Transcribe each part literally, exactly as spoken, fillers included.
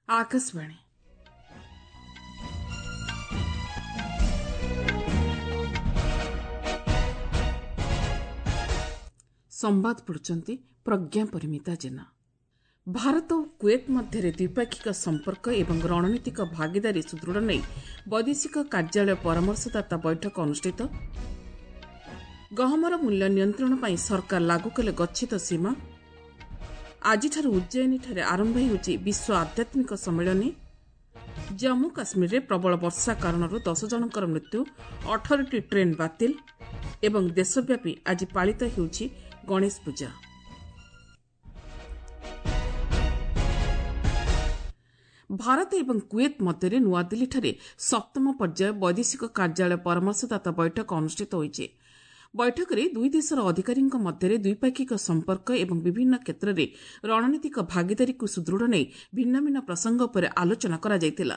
ଆକାଶବାଣୀ। ସମ୍ବାଦ ପଢୁଛନ୍ତି ପ୍ରଜ୍ଞା ପରିମିତା ଜେନା। ଭାରତ ଓ କୁଏତ ମଧ୍ୟରେ ଦ୍ୱିପାକ୍ଷିକ ସମ୍ପର୍କ ଏବଂ ରଣନୀତିକ ଭାଗିଦାରୀ ସୁଦୃଢ଼ ନେଇ ବୈଦେଶିକ କାର୍ଯ୍ୟାଳୟ ପରାମର୍ଶଦାତା ବୈଠକ ଅନୁଷ୍ଠିତ। ଗହମର ମୂଲ୍ୟ ନିୟନ୍ତ୍ରଣ ପାଇଁ ସରକାର ଲାଗୁ କଲେ ଗଚ୍ଛିତ ସୀମା। ଆଜିଠାରୁ ଉଜ୍ଜୟିନୀଠାରେ ଆରମ୍ଭ ହେଉଛି ବିଶ୍ୱ ଆଧ୍ୟାତ୍ମିକ ସମ୍ମିଳନୀ। ଜମ୍ମୁ କାଶ୍ମୀରରେ ପ୍ରବଳ ବର୍ଷା କାରଣରୁ ଦଶ ଜଣଙ୍କର ମୃତ୍ୟୁ, ଅଠରଟି ଟ୍ରେନ୍ ବାତିଲ ଏବଂ ଦେଶବ୍ୟାପୀ ଆଜି ପାଳିତ ହେଉଛି ଗଣେଶ ପୂଜା। ଭାରତ ଏବଂ କୁଏତ ମଧ୍ୟରେ ନୂଆଦିଲ୍ଲୀଠାରେ ସପ୍ତମ ପର୍ଯ୍ୟାୟ ବୈଦେଶିକ କାର୍ଯ୍ୟାଳୟ ପରାମର୍ଶଦାତା ବୈଠକ ଅନୁଷ୍ଠିତ ହୋଇଛି। ବୈଠକରେ ଦୁଇ ଦେଶର ଅଧିକାରୀଙ୍କ ମଧ୍ୟରେ ଦ୍ୱିପାକ୍ଷିକ ସମ୍ପର୍କ ଏବଂ ବିଭିନ୍ନ କ୍ଷେତ୍ରରେ ରଣନୀତିକ ଭାଗିଦାରୀକୁ ସୁଦୃଢ଼ ନେଇ ଭିନ୍ନ ଭିନ୍ନ ପ୍ରସଙ୍ଗ ଉପରେ ଆଲୋଚନା କରାଯାଇଥିଲା।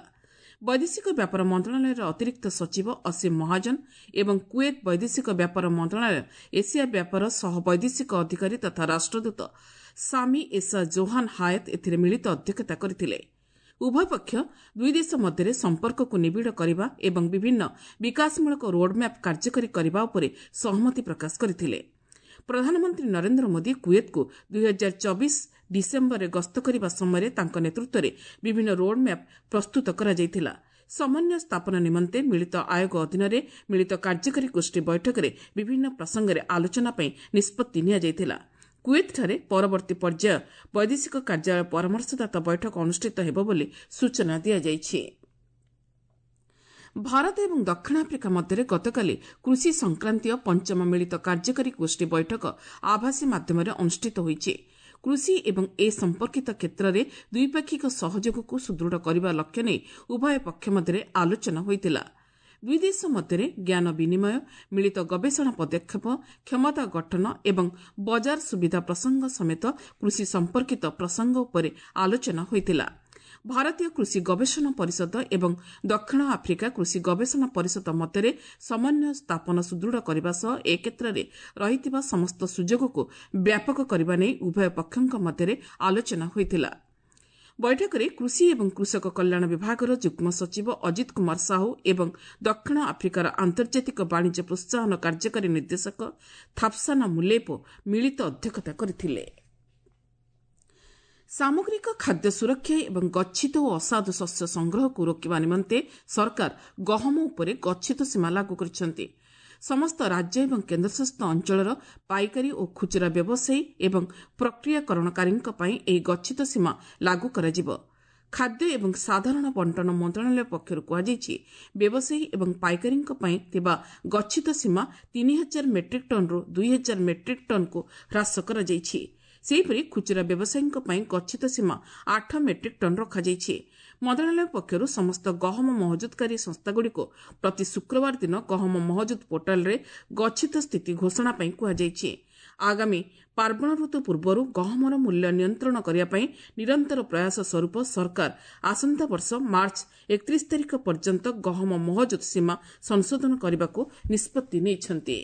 ବୈଦେଶିକ ବ୍ୟାପାର ମନ୍ତ୍ରଣାଳୟର ଅତିରିକ୍ତ ସଚିବ ଅସୀମ ମହାଜନ ଏବଂ କୁଏତ ବୈଦେଶିକ ବ୍ୟାପାର ମନ୍ତ୍ରଣାଳୟ ଏସିଆ ବ୍ୟାପାର ସହ ବୈଦେଶିକ ଅଧିକାରୀ ତଥା ରାଷ୍ଟ୍ରଦୂତ ସାମି ଏସା ଜୋହାନ ହାୟତ ଏଥିରେ ମିଳିତ ଅଧ୍ୟକ୍ଷତା କରିଥିଲେ। ଉଭୟ ପକ୍ଷ ଦୁଇ ଦେଶ ମଧ୍ୟରେ ସମ୍ପର୍କକୁ ନିବିଡ଼ କରିବା ଏବଂ ବିଭିନ୍ନ ବିକାଶମୂଳକ ରୋଡ୍ମ୍ୟାପ୍ କାର୍ଯ୍ୟକାରୀ କରିବା ଉପରେ ସହମତି ପ୍ରକାଶ କରିଥିଲେ। ପ୍ରଧାନମନ୍ତ୍ରୀ ନରେନ୍ଦ୍ର ମୋଦି କୁଏତକୁ ଦୁଇ ହଜାର ଚବିଶ ଡିସେମ୍ବରରେ ଗସ୍ତ କରିବା ସମୟରେ ତାଙ୍କ ନେତୃତ୍ୱରେ ବିଭିନ୍ନ ରୋଡ୍ମ୍ୟାପ୍ ପ୍ରସ୍ତୁତ କରାଯାଇଥିଲା। ସମନ୍ୱୟ ସ୍ଥାପନ ନିମନ୍ତେ ମିଳିତ ଆୟୋଗ ଅଧୀନରେ ମିଳିତ କାର୍ଯ୍ୟକାରୀ ଗୋଷ୍ଠୀ ବୈଠକରେ ବିଭିନ୍ନ ପ୍ରସଙ୍ଗରେ ଆଲୋଚନା ପାଇଁ ନିଷ୍ପତ୍ତି ନିଆଯାଇଥିଲା। କୁଏତଠାରେ ପରବର୍ତ୍ତୀ ପର୍ଯ୍ୟାୟ ବୈଦେଶିକ କାର୍ଯ୍ୟାଳୟ ପରାମର୍ଶଦାତା ବୈଠକ ଅନୁଷ୍ଠିତ ହେବ ବୋଲି ସୂଚନା ଦିଆଯାଇଛି। ଭାରତ ଏବଂ ଦକ୍ଷିଣ ଆଫ୍ରିକା ମଧ୍ୟରେ ଗତକାଲି କୃଷି ସଂକ୍ରାନ୍ତୀୟ ପଞ୍ଚମ ମିଳିତ କାର୍ଯ୍ୟକାରୀ ଗୋଷ୍ଠୀ ବୈଠକ ଆଭାସୀ ମାଧ୍ୟମରେ ଅନୁଷ୍ଠିତ ହୋଇଛି। କୃଷି ଏବଂ ଏ ସମ୍ପର୍କିତ କ୍ଷେତ୍ରରେ ଦ୍ୱିପାକ୍ଷିକ ସହଯୋଗକୁ ସୁଦୃଢ଼ କରିବା ଲକ୍ଷ୍ୟ ନେଇ ଉଭୟ ପକ୍ଷ ମଧ୍ୟରେ ଆଲୋଚନା ହୋଇଥିଲା। ଦୁଇ ଦେଶ ମଧ୍ୟରେ ଜ୍ଞାନ ବିନିମୟ, ମିଳିତ ଗବେଷଣା ପଦକ୍ଷେପ, କ୍ଷମତା ଗଠନ ଏବଂ ବଜାର ସୁବିଧା ପ୍ରସଙ୍ଗ ସମେତ କୃଷି ସମ୍ପର୍କିତ ପ୍ରସଙ୍ଗ ଉପରେ ଆଲୋଚନା ହୋଇଥିଲା। ଭାରତୀୟ କୃଷି ଗବେଷଣା ପରିଷଦ ଏବଂ ଦକ୍ଷିଣ ଆଫ୍ରିକା କୃଷି ଗବେଷଣା ପରିଷଦ ମଧ୍ୟରେ ସମନ୍ୱୟ ସ୍ଥାପନ ସୁଦୃଢ଼ କରିବା ସହ ଏ କ୍ଷେତ୍ରରେ ରହିଥିବା ସମସ୍ତ ସୁଯୋଗକୁ ବ୍ୟାପକ କରିବା ନେଇ ଉଭୟ ପକ୍ଷଙ୍କ ମଧ୍ୟରେ ଆଲୋଚନା ହୋଇଥିଲା। ବୈଠକରେ କୃଷି ଏବଂ କୃଷକ କଲ୍ୟାଣ ବିଭାଗର ଯୁଗ୍ମ ସଚିବ ଅଜିତ କୁମାର ସାହୁ ଏବଂ ଦକ୍ଷିଣ ଆଫ୍ରିକାର ଆନ୍ତର୍ଜାତିକ ବାଣିଜ୍ୟ ପ୍ରୋତ୍ସାହନ କାର୍ଯ୍ୟକାରୀ ନିର୍ଦ୍ଦେଶକ ଥାପ୍ସାନା ମୁଲେପୋ ମିଳିତ ଅଧ୍ୟକ୍ଷତା କରିଥିଲେ। ସାମଗ୍ରିକ ଖାଦ୍ୟ ସୁରକ୍ଷା ଏବଂ ଗଚ୍ଛିତ ଓ ଅସାଧୁ ଶସ୍ୟ ସଂଗ୍ରହକୁ ରୋକିବା ନିମନ୍ତେ ସରକାର ଗହମ ଉପରେ ଗଚ୍ଛିତ ସୀମା ଲାଗୁ କରିଛନ୍ତି। ସମସ୍ତ ରାଜ୍ୟ ଏବଂ କେନ୍ଦ୍ରଶାସିତ ଅଞ୍ଚଳର ପାଇକାରୀ ଓ ଖୁଚୁରା ବ୍ୟବସାୟୀ ଏବଂ ପ୍ରକ୍ରିୟାକରଣକାରୀଙ୍କ ପାଇଁ ଏହି ଗଚ୍ଛିତ ସୀମା ଲାଗୁ କରାଯିବ। ଖାଦ୍ୟ ଏବଂ ସାଧାରଣ ବଣ୍ଟନ ମନ୍ତ୍ରଣାଳୟ ପକ୍ଷରୁ କୁହାଯାଇଛି, ବ୍ୟବସାୟୀ ଏବଂ ପାଇକାରୀଙ୍କ ପାଇଁ ଥିବା ଗଚ୍ଛିତ ସୀମା ତିନି ହଜାର ମେଟ୍ରିକ୍ ଟନ୍ରୁ ଦୁଇ ହଜାର ମେଟ୍ରିକ୍ ଟନ୍କୁ ହ୍ରାସ କରାଯାଇଛି। ସେହିପରି ଖୁଚୁରା ବ୍ୟବସାୟୀଙ୍କ ପାଇଁ ଗଚ୍ଛିତ ସୀମା ଆଠ ମେଟ୍ରିକ୍ ଟନ୍ ରଖାଯାଇଛି। ମନ୍ତ୍ରଣାଳୟ ପକ୍ଷରୁ ସମସ୍ତ ଗହମ ମହଜୁଦକାରୀ ସଂସ୍ଥାଗୁଡ଼ିକୁ ପ୍ରତି ଶୁକ୍ରବାର ଦିନ ଗହମ ମହଜୁଦ ପୋର୍ଟାଲରେ ଗଚ୍ଛିତ ସ୍ଥିତି ଘୋଷଣା ପାଇଁ କୁହାଯାଇଛି। ଆଗାମୀ ପାର୍ବଣ ଋତୁ ପୂର୍ବରୁ ଗହମର ମୂଲ୍ୟ ନିୟନ୍ତ୍ରଣ କରିବା ପାଇଁ ନିରନ୍ତର ପ୍ରୟାସ ସ୍ୱରୂପ ସରକାର ଆସନ୍ତା ବର୍ଷ ମାର୍ଚ୍ଚ ଏକତିରିଶ ତାରିଖ ପର୍ଯ୍ୟନ୍ତ ଗହମ ମହଜୁଦ ସୀମା ସଂଶୋଧନ କରିବାକୁ ନିଷ୍ପତ୍ତି ନେଇଛନ୍ତି।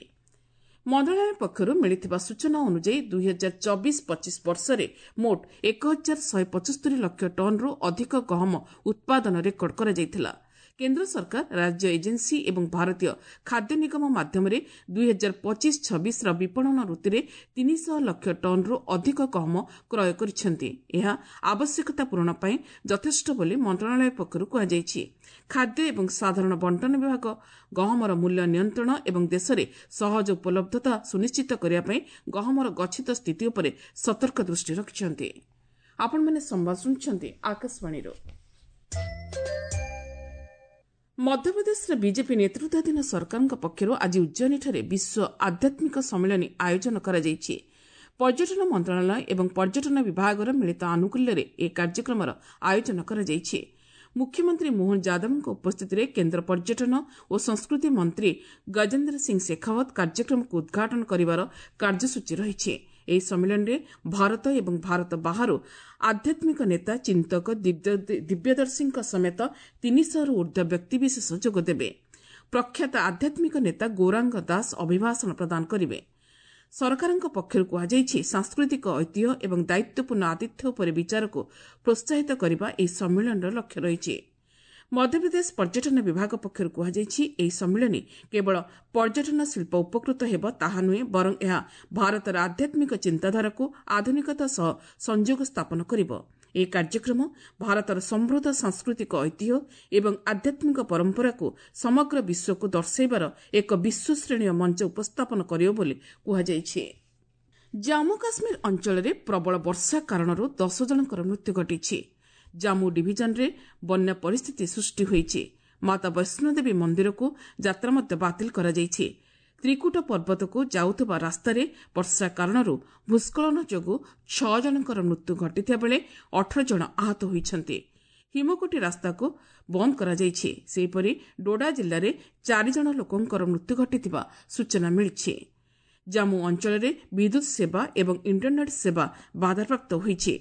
ମନ୍ତ୍ରଣାଳୟ ପକ୍ଷରୁ ମିଳିଥିବା ସୂଚନା ଅନୁଯାୟୀ ଦୁଇ ହଜାର ଚବିଶ ପଚିଶ ବର୍ଷରେ ମୋଟ ଏକ ହଜାର ଶହେ ପଞ୍ଚସ୍ତରୀ ଲକ୍ଷ ଟନ୍ରୁ ଅଧିକ ଗହମ ଉତ୍ପାଦନ ରେକର୍ଡ କରାଯାଇଥିଲା। କେନ୍ଦ୍ର ସରକାର ରାଜ୍ୟ ଏଜେନ୍ସି ଏବଂ ଭାରତୀୟ ଖାଦ୍ୟ ନିଗମ ମାଧ୍ୟମରେ ଦୁଇ ହଜାର ପଚିଶ ଛବିଶର ବିପଣନ ଋତୁରେ ତିନିଶହ ଲକ୍ଷ ଟନ୍ରୁ ଅଧିକ ଗହମ କ୍ରୟ କରିଛନ୍ତି। ଏହା ଆବଶ୍ୟକତା ପୂରଣ ପାଇଁ ଯଥେଷ୍ଟ ବୋଲି ମନ୍ତ୍ରଣାଳୟ ପକ୍ଷରୁ କୁହାଯାଇଛି। ଖାଦ୍ୟ ଏବଂ ସାଧାରଣ ବଣ୍ଟନ ବିଭାଗ ଗହମର ମୂଲ୍ୟ ନିୟନ୍ତ୍ରଣ ଏବଂ ଦେଶରେ ସହଜ ଉପଲବ୍ଧତା ସୁନିଶ୍ଚିତ କରିବା ପାଇଁ ଗହମର ଗଚ୍ଛିତ ସ୍ଥିତି ଉପରେ ସତର୍କ ଦୃଷ୍ଟି ରଖିଛନ୍ତି। ଆପଣମାନେ ସମ୍ବାଦ ଶୁଣୁଛନ୍ତି ଆକାଶବାଣୀରୁ। ମଧ୍ୟପ୍ରଦେଶର ବିଜେପି ନେତୃତ୍ୱାଧୀନ ସରକାରଙ୍କ ପକ୍ଷରୁ ଆଜି ଉଜ୍ଜୟିନୀଠାରେ ବିଶ୍ୱ ଆଧ୍ୟାତ୍ମିକ ସମ୍ମିଳନୀ ଆୟୋଜନ କରାଯାଇଛି। ପର୍ଯ୍ୟଟନ ମନ୍ତ୍ରଣାଳୟ ଏବଂ ପର୍ଯ୍ୟଟନ ବିଭାଗର ମିଳିତ ଆନୁକୂଲ୍ୟରେ ଏହି କାର୍ଯ୍ୟକ୍ରମର ଆୟୋଜନ କରାଯାଇଛି। ମୁଖ୍ୟମନ୍ତ୍ରୀ ମୋହନ ଯାଦବଙ୍କ ଉପସ୍ଥିତିରେ କେନ୍ଦ୍ର ପର୍ଯ୍ୟଟନ ଓ ସଂସ୍କୃତି ମନ୍ତ୍ରୀ ଗଜେନ୍ଦ୍ର ସିଂ ଶେଖାଓ୍ୱତ କାର୍ଯ୍ୟକ୍ରମକୁ ଉଦ୍ଘାଟନ କରିବାର କାର୍ଯ୍ୟସୂଚୀ ରହିଛି। ଏହି ସମ୍ମିଳନୀରେ ଭାରତ ଏବଂ ଭାରତ ବାହାରୁ ଆଧ୍ୟାତ୍ମିକ ନେତା, ଚିନ୍ତକ, ଦିବ୍ୟଦର୍ଶୀଙ୍କ ସମେତ ତିନିଶହରୁ ଊର୍ଦ୍ଧ୍ୱ ବ୍ୟକ୍ତିବିଶେଷ ଯୋଗଦେବେ। ପ୍ରଖ୍ୟାତ ଆଧ୍ୟାତ୍ମିକ ନେତା ଗୌରାଙ୍ଗ ଦାସ ଅଭିଭାଷଣ ପ୍ରଦାନ କରିବେ। ସରକାରଙ୍କ ପକ୍ଷରୁ କୁହାଯାଇଛି, ସାଂସ୍କୃତିକ ଐତିହ୍ୟ ଏବଂ ଦାୟିତ୍ୱପୂର୍ଣ୍ଣ ଆତିଥ୍ୟ ଉପରେ ବିଚାରକୁ ପ୍ରୋତ୍ସାହିତ କରିବା ଏହି ସମ୍ମିଳନୀର ଲକ୍ଷ୍ୟ ରହିଛି। ମଧ୍ୟପ୍ରଦେଶ ପର୍ଯ୍ୟଟନ ବିଭାଗ ପକ୍ଷରୁ କୁହାଯାଇଛି, ଏହି ସମ୍ମିଳନୀ କେବଳ ପର୍ଯ୍ୟଟନ ଶିଳ୍ପ ଉପକୃତ ହେବ ତାହା ନୁହେଁ, ବରଂ ଏହା ଭାରତର ଆଧ୍ୟାତ୍ମିକ ଚିନ୍ତାଧାରାକୁ ଆଧୁନିକତା ସହ ସଂଯୋଗ ସ୍ଥାପନ କରିବ। ଏହି କାର୍ଯ୍ୟକ୍ରମ ଭାରତର ସମୃଦ୍ଧ ସାଂସ୍କୃତିକ ଐତିହ୍ୟ ଏବଂ ଆଧ୍ୟାତ୍ମିକ ପରମ୍ପରାକୁ ସମଗ୍ର ବିଶ୍ୱକୁ ଦର୍ଶାଇବାର ଏକ ବିଶ୍ୱଶ୍ରେଣୀୟ ମଞ୍ଚ ଉପସ୍ଥାପନ କରିବ ବୋଲି କୁହାଯାଇଛି। ଜାମ୍ମୁ କାଶ୍ମୀର ଅଞ୍ଚଳରେ ପ୍ରବଳ ବର୍ଷା କାରଣରୁ ଦଶ ଜଣଙ୍କର ମୃତ୍ୟୁ ଘଟିଛି। ଜାମ୍ମୁ ଡିଭିଜନରେ ବନ୍ୟା ପରିସ୍ଥିତି ସୃଷ୍ଟି ହୋଇଛି। ମାତା ବୈଷ୍ଣୋଦେବୀ ମନ୍ଦିରକୁ ଯାତ୍ରା ମଧ୍ୟ ବାତିଲ କରାଯାଇଛି। ତ୍ରିକୁଟ ପର୍ବତକୁ ଯାଉଥିବା ରାସ୍ତାରେ ବର୍ଷା କାରଣରୁ ଭୂସ୍ଖଳନ ଯୋଗୁଁ ଛଅ ଜଣଙ୍କର ମୃତ୍ୟୁ ଘଟିଥିବା ବେଳେ ଅଠର ଜଣ ଆହତ ହୋଇଛନ୍ତି। ହିମକୋଟି ରାସ୍ତାକୁ ବନ୍ଦ କରାଯାଇଛି। ସେହିପରି ଡୋଡା ଜିଲ୍ଲାରେ ଚାରି ଜଣ ଲୋକଙ୍କର ମୃତ୍ୟୁ ଘଟିଥିବା ସୂଚନା ମିଳିଛି। ଜାମ୍ମୁ ଅଞ୍ଚଳରେ ବିଦ୍ୟୁତ୍ ସେବା ଏବଂ ଇଣ୍ଟରନେଟ୍ ସେବା ବାଧାପ୍ରାପ୍ତ ହୋଇଛି।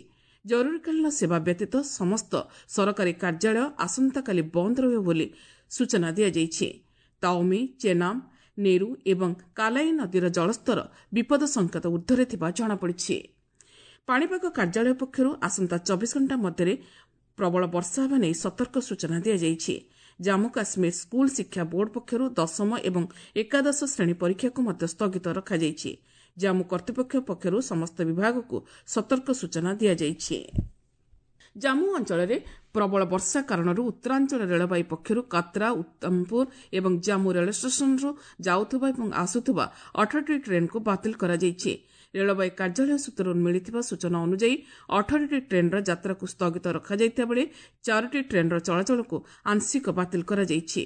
ଜରୁରୀକାଳୀନ ସେବା ବ୍ୟତୀତ ସମସ୍ତ ସରକାରୀ କାର୍ଯ୍ୟାଳୟ ଆସନ୍ତାକାଲି ବନ୍ଦ ରହିବ ବୋଲି ସୂଚନା ଦିଆଯାଇଛି। ତାଓମି, ଚେନାମ, ନେରୁ ଏବଂ କାଲାଇ ନଦୀର ଜଳସ୍ତର ବିପଦ ସଂକେତ ଊର୍ଦ୍ଧ୍ୱରେ ଥିବା ଜଣାପଡ଼ିଛି। ପାଣିପାଗ କାର୍ଯ୍ୟାଳୟ ପକ୍ଷରୁ ଆସନ୍ତା ଚବିଶ ଘଣ୍ଟା ମଧ୍ୟରେ ପ୍ରବଳ ବର୍ଷା ହେବା ନେଇ ସତର୍କ ସୂଚନା ଦିଆଯାଇଛି। ଜାମ୍ମୁ କାଶ୍ମୀର ସ୍କୁଲ ଶିକ୍ଷା ବୋର୍ଡ ପକ୍ଷରୁ ଦଶମ ଏବଂ ଏକାଦଶ ଶ୍ରେଣୀ ପରୀକ୍ଷାକୁ ମଧ୍ୟ ସ୍ଥଗିତ ରଖାଯାଇଛି। ଜାମ୍ମୁ କର୍ତ୍ତୃପକ୍ଷ ପକ୍ଷରୁ ସମସ୍ତ ବିଭାଗକୁ ସତର୍କ ସୂଚନା ଦିଆଯାଇଛି। ଜାମ୍ମୁ ଅଞ୍ଚଳରେ ପ୍ରବଳ ବର୍ଷା କାରଣରୁ ଉତ୍ତରାଞ୍ଚଳ ରେଳବାଇ ପକ୍ଷରୁ କାତ୍ରା, ଉତ୍ତମପୁର ଏବଂ ଜାମ୍ମୁ ରେଳ ଷ୍ଟେସନରୁ ଯାଉଥିବା ଏବଂ ଆସୁଥିବା ଅଠରଟି ଟ୍ରେନ୍କୁ ବାତିଲ କରାଯାଇଛି। ରେଳବାଇ କାର୍ଯ୍ୟାଳୟ ସୂତ୍ରରୁ ମିଳିଥିବା ସୂଚନା ଅନୁଯାୟୀ ଅଠରଟି ଟ୍ରେନ୍ର ଯାତ୍ରାକୁ ସ୍ଥଗିତ ରଖାଯାଇଥିବା ବେଳେ ଚାରୋଟି ଟ୍ରେନ୍ର ଚଳାଚଳକୁ ଆଂଶିକ ବାତିଲ କରାଯାଇଛି।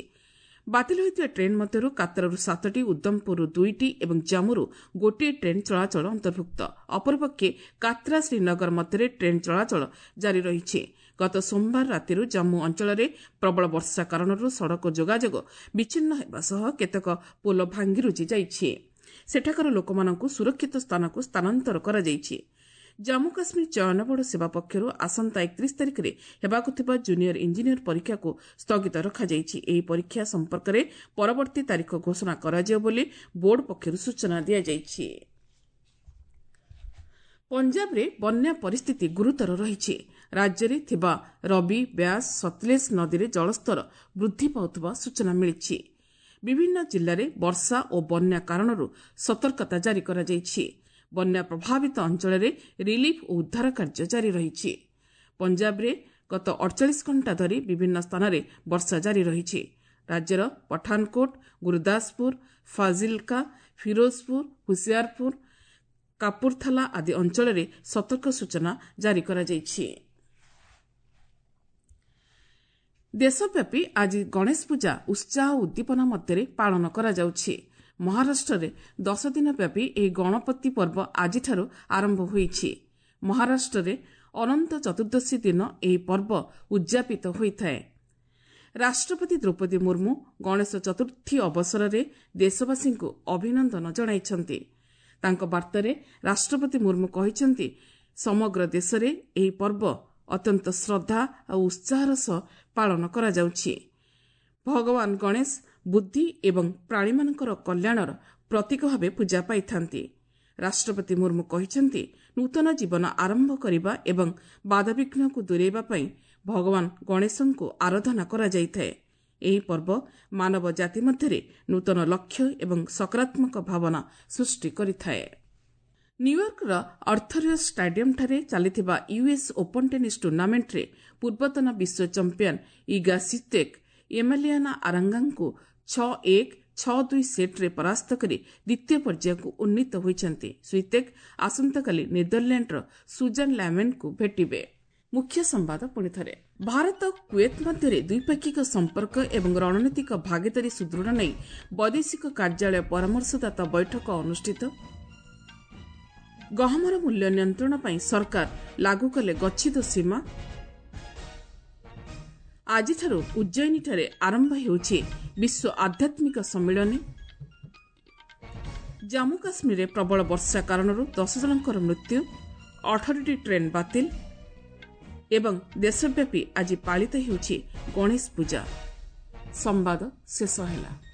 ବାତିଲ ହୋଇଥିବା ଟ୍ରେନ୍ ମଧ୍ୟରୁ କାତ୍ରାରୁ ସାତଟି, ଉଦ୍ଦମପୁରରୁ ଦୁଇଟି ଏବଂ ଜାମ୍ମୁରୁ ଗୋଟିଏ ଟ୍ରେନ୍ ଚଳାଚଳ ଅନ୍ତର୍ଭୁକ୍ତ। ଅପରପକ୍ଷେ କାତ୍ରା ଶ୍ରୀନଗର ମଧ୍ୟରେ ଟ୍ରେନ୍ ଚଳାଚଳ ଜାରି ରହିଛି। ଗତ ସୋମବାର ରାତିରୁ ଜାମ୍ମୁ ଅଞ୍ଚଳରେ ପ୍ରବଳ ବର୍ଷା କାରଣରୁ ସଡ଼କ ଯୋଗାଯୋଗ ବିଚ୍ଛିନ୍ନ ହେବା ସହ କେତେକ ପୋଲ ଭାଙ୍ଗିରୁଜି ଯାଇଛି। ସେଠାକାର ଲୋକମାନଙ୍କୁ ସୁରକ୍ଷିତ ସ୍ଥାନକୁ ସ୍ଥାନାନ୍ତର କରାଯାଇଛି। ଜାମ୍ମୁ କାଶ୍ମୀର ଚୟନ ବୋର୍ଡ ସେବା ପକ୍ଷରୁ ଆସନ୍ତା ଏକତିରିଶ ତାରିଖରେ ହେବାକୁ ଥିବା ଜୁନିୟର ଇଞ୍ଜିନିୟର ପରୀକ୍ଷାକୁ ସ୍ଥଗିତ ରଖାଯାଇଛି। ଏହି ପରୀକ୍ଷା ସମ୍ପର୍କରେ ପରବର୍ତ୍ତୀ ତାରିଖ ଘୋଷଣା କରାଯିବ ବୋଲି ବୋର୍ଡ ପକ୍ଷରୁ ସୂଚନା ଦିଆଯାଇଛି। ପଞ୍ଜାବରେ ବନ୍ୟା ପରିସ୍ଥିତି ଗୁରୁତର ରହିଛି। ରାଜ୍ୟରେ ଥିବା ରବି, ବ୍ୟାସ, ସତଲେଜ ନଦୀରେ ଜଳସ୍ତର ବୃଦ୍ଧି ପାଉଥିବା ସୂଚନା ମିଳିଛି। ବିଭିନ୍ନ ଜିଲ୍ଲାରେ ବର୍ଷା ଓ ବନ୍ୟା କାରଣରୁ ସତର୍କତା ଜାରି କରାଯାଇଛି। ବନ୍ୟା ପ୍ରଭାବିତ ଅଞ୍ଚଳରେ ରିଲିଫ୍ ଓ ଉଦ୍ଧାର କାର୍ଯ୍ୟ ଜାରି ରହିଛି। ପଞ୍ଜାବରେ ଗତ ଅଡ଼ଚାଳିଶ ଘଣ୍ଟା ଧରି ବିଭିନ୍ନ ସ୍ଥାନରେ ବର୍ଷା ଜାରି ରହିଛି। ରାଜ୍ୟର ପଠାନକୋଟ, ଗୁରୁଦାସପୁର, ଫାଜିଲକା, ଫିରୋଜପୁର, ହୁସିଆରପୁର, କାପୁରଥାଲା ଆଦି ଅଞ୍ଚଳରେ ସତର୍କ ସୂଚନା ଜାରି କରାଯାଇଛି। ଦେଶବ୍ୟାପୀ ଆଜି ଗଣେଶ ପୂଜା ଉତ୍ସାହ ଓ ଉଦ୍ଦୀପନା ମଧ୍ୟରେ ପାଳନ କରାଯାଉଛି। ମହାରାଷ୍ଟ୍ରରେ ଦଶ ଦିନ ବ୍ୟାପୀ ଏହି ଗଣପତି ପର୍ବ ଆଜିଠାରୁ ଆରମ୍ଭ ହୋଇଛି। ମହାରାଷ୍ଟ୍ରରେ ଅନନ୍ତ ଚତୁର୍ଦ୍ଦଶୀ ଦିନ ଏହି ପର୍ବ ଉଦ୍ଯାପିତ ହୋଇଥାଏ। ରାଷ୍ଟ୍ରପତି ଦ୍ରୌପଦୀ ମୁର୍ମୁ ଗଣେଶ ଚତୁର୍ଥୀ ଅବସରରେ ଦେଶବାସୀଙ୍କୁ ଅଭିନନ୍ଦନ ଜଣାଇଛନ୍ତି। ତାଙ୍କ ବାର୍ତ୍ତାରେ ରାଷ୍ଟ୍ରପତି ମୁର୍ମୁ କହିଛନ୍ତି, ସମଗ୍ର ଦେଶରେ ଏହି ପର୍ବ ଅତ୍ୟନ୍ତ ଶ୍ରଦ୍ଧା ଆଉ ଉତ୍ସାହର ସହ ପାଳନ କରାଯାଉଛି। ଭଗବାନ ଗଣେଶ ବୁଦ୍ଧି ଏବଂ ପ୍ରାଣୀମାନଙ୍କର କଲ୍ୟାଣର ପ୍ରତୀକ ଭାବେ ପୂଜା ପାଇଥାନ୍ତି। ରାଷ୍ଟ୍ରପତି ମୁର୍ମୁ କହିଛନ୍ତି, ନୂତନ ଜୀବନ ଆରମ୍ଭ କରିବା ଏବଂ ବାଧାବିଘ୍ନକୁ ଦୂରେଇବା ପାଇଁ ଭଗବାନ ଗଣେଶଙ୍କୁ ଆରାଧନା କରାଯାଇଥାଏ। ଏହି ପର୍ବ ମାନବ ଜାତି ମଧ୍ୟରେ ନୂତନ ଲକ୍ଷ୍ୟ ଏବଂ ସକାରାତ୍ମକ ଭାବନା ସୃଷ୍ଟି କରିଥାଏ। ନ୍ୟୁୟର୍କର ଆର୍ଥରିୟସ୍ ଷ୍ଟାଡିୟମ୍ଠାରେ ଚାଲିଥିବା ୟୁଏସ୍ ଓପନ୍ ଟେନିସ୍ ଟୁର୍ଣ୍ଣାମେଣ୍ଟରେ ପୂର୍ବତନ ବିଶ୍ୱ ଚମ୍ପିଆନ୍ ଇଗା ସିତେକ୍ ଏମାଲିଆନା ଆରାଙ୍ଗାଙ୍କୁ ଛଅ ଏକ ଛଅ ଦୁଇ ସେଟ୍ରେ ପରାସ୍ତ କରି ଦ୍ୱିତୀୟ ପର୍ଯ୍ୟାୟକୁ ଉନ୍ନୀତ ହୋଇଛନ୍ତି। ସୁଇତେକ୍ ଆସନ୍ତାକାଲି ନେଦରଲ୍ୟାଣ୍ଡର ସୁଜାନ ଲ୍ୟାମେନ୍ଙ୍କୁ ଭେଟିବେ। ମୁଖ୍ୟ ସମ୍ବାଦ ପୁଣିଥରେ। ଭାରତ କୁଏତ ମଧ୍ୟରେ ଦ୍ୱିପାକ୍ଷିକ ସମ୍ପର୍କ ଏବଂ ରଣନୀତିକ ଭାଗିଦାରୀ ସୁଦୃଢ଼ ନେଇ ବୈଦେଶିକ କାର୍ଯ୍ୟାଳୟ ପରାମର୍ଶଦାତା ବୈଠକ ଅନୁଷ୍ଠିତ। ଗହମର ମୂଲ୍ୟ ନିୟନ୍ତ୍ରଣ ପାଇଁ ସରକାର ଲାଗୁ କଲେ ଗଚ୍ଛିତ ସୀମା। ଆଜିଠାରୁ ଉଜ୍ଜୟିନୀଠାରେ ଆରମ୍ଭ ହେଉଛି ବିଶ୍ୱ ଆଧ୍ୟାତ୍ମିକ ସମ୍ମିଳନୀ। ଜାମ୍ମୁ କାଶ୍ମୀରରେ ପ୍ରବଳ ବର୍ଷା କାରଣରୁ ଦଶ ଜଣଙ୍କର ମୃତ୍ୟୁ, ଅଠରଟି ଟ୍ରେନ୍ ବାତିଲ ଏବଂ ଦେଶବ୍ୟାପୀ ଆଜି ପାଳିତ ହେଉଛି ଗଣେଶ ପୂଜା। ସମ୍ବାଦ ଶେଷ ହେଲା।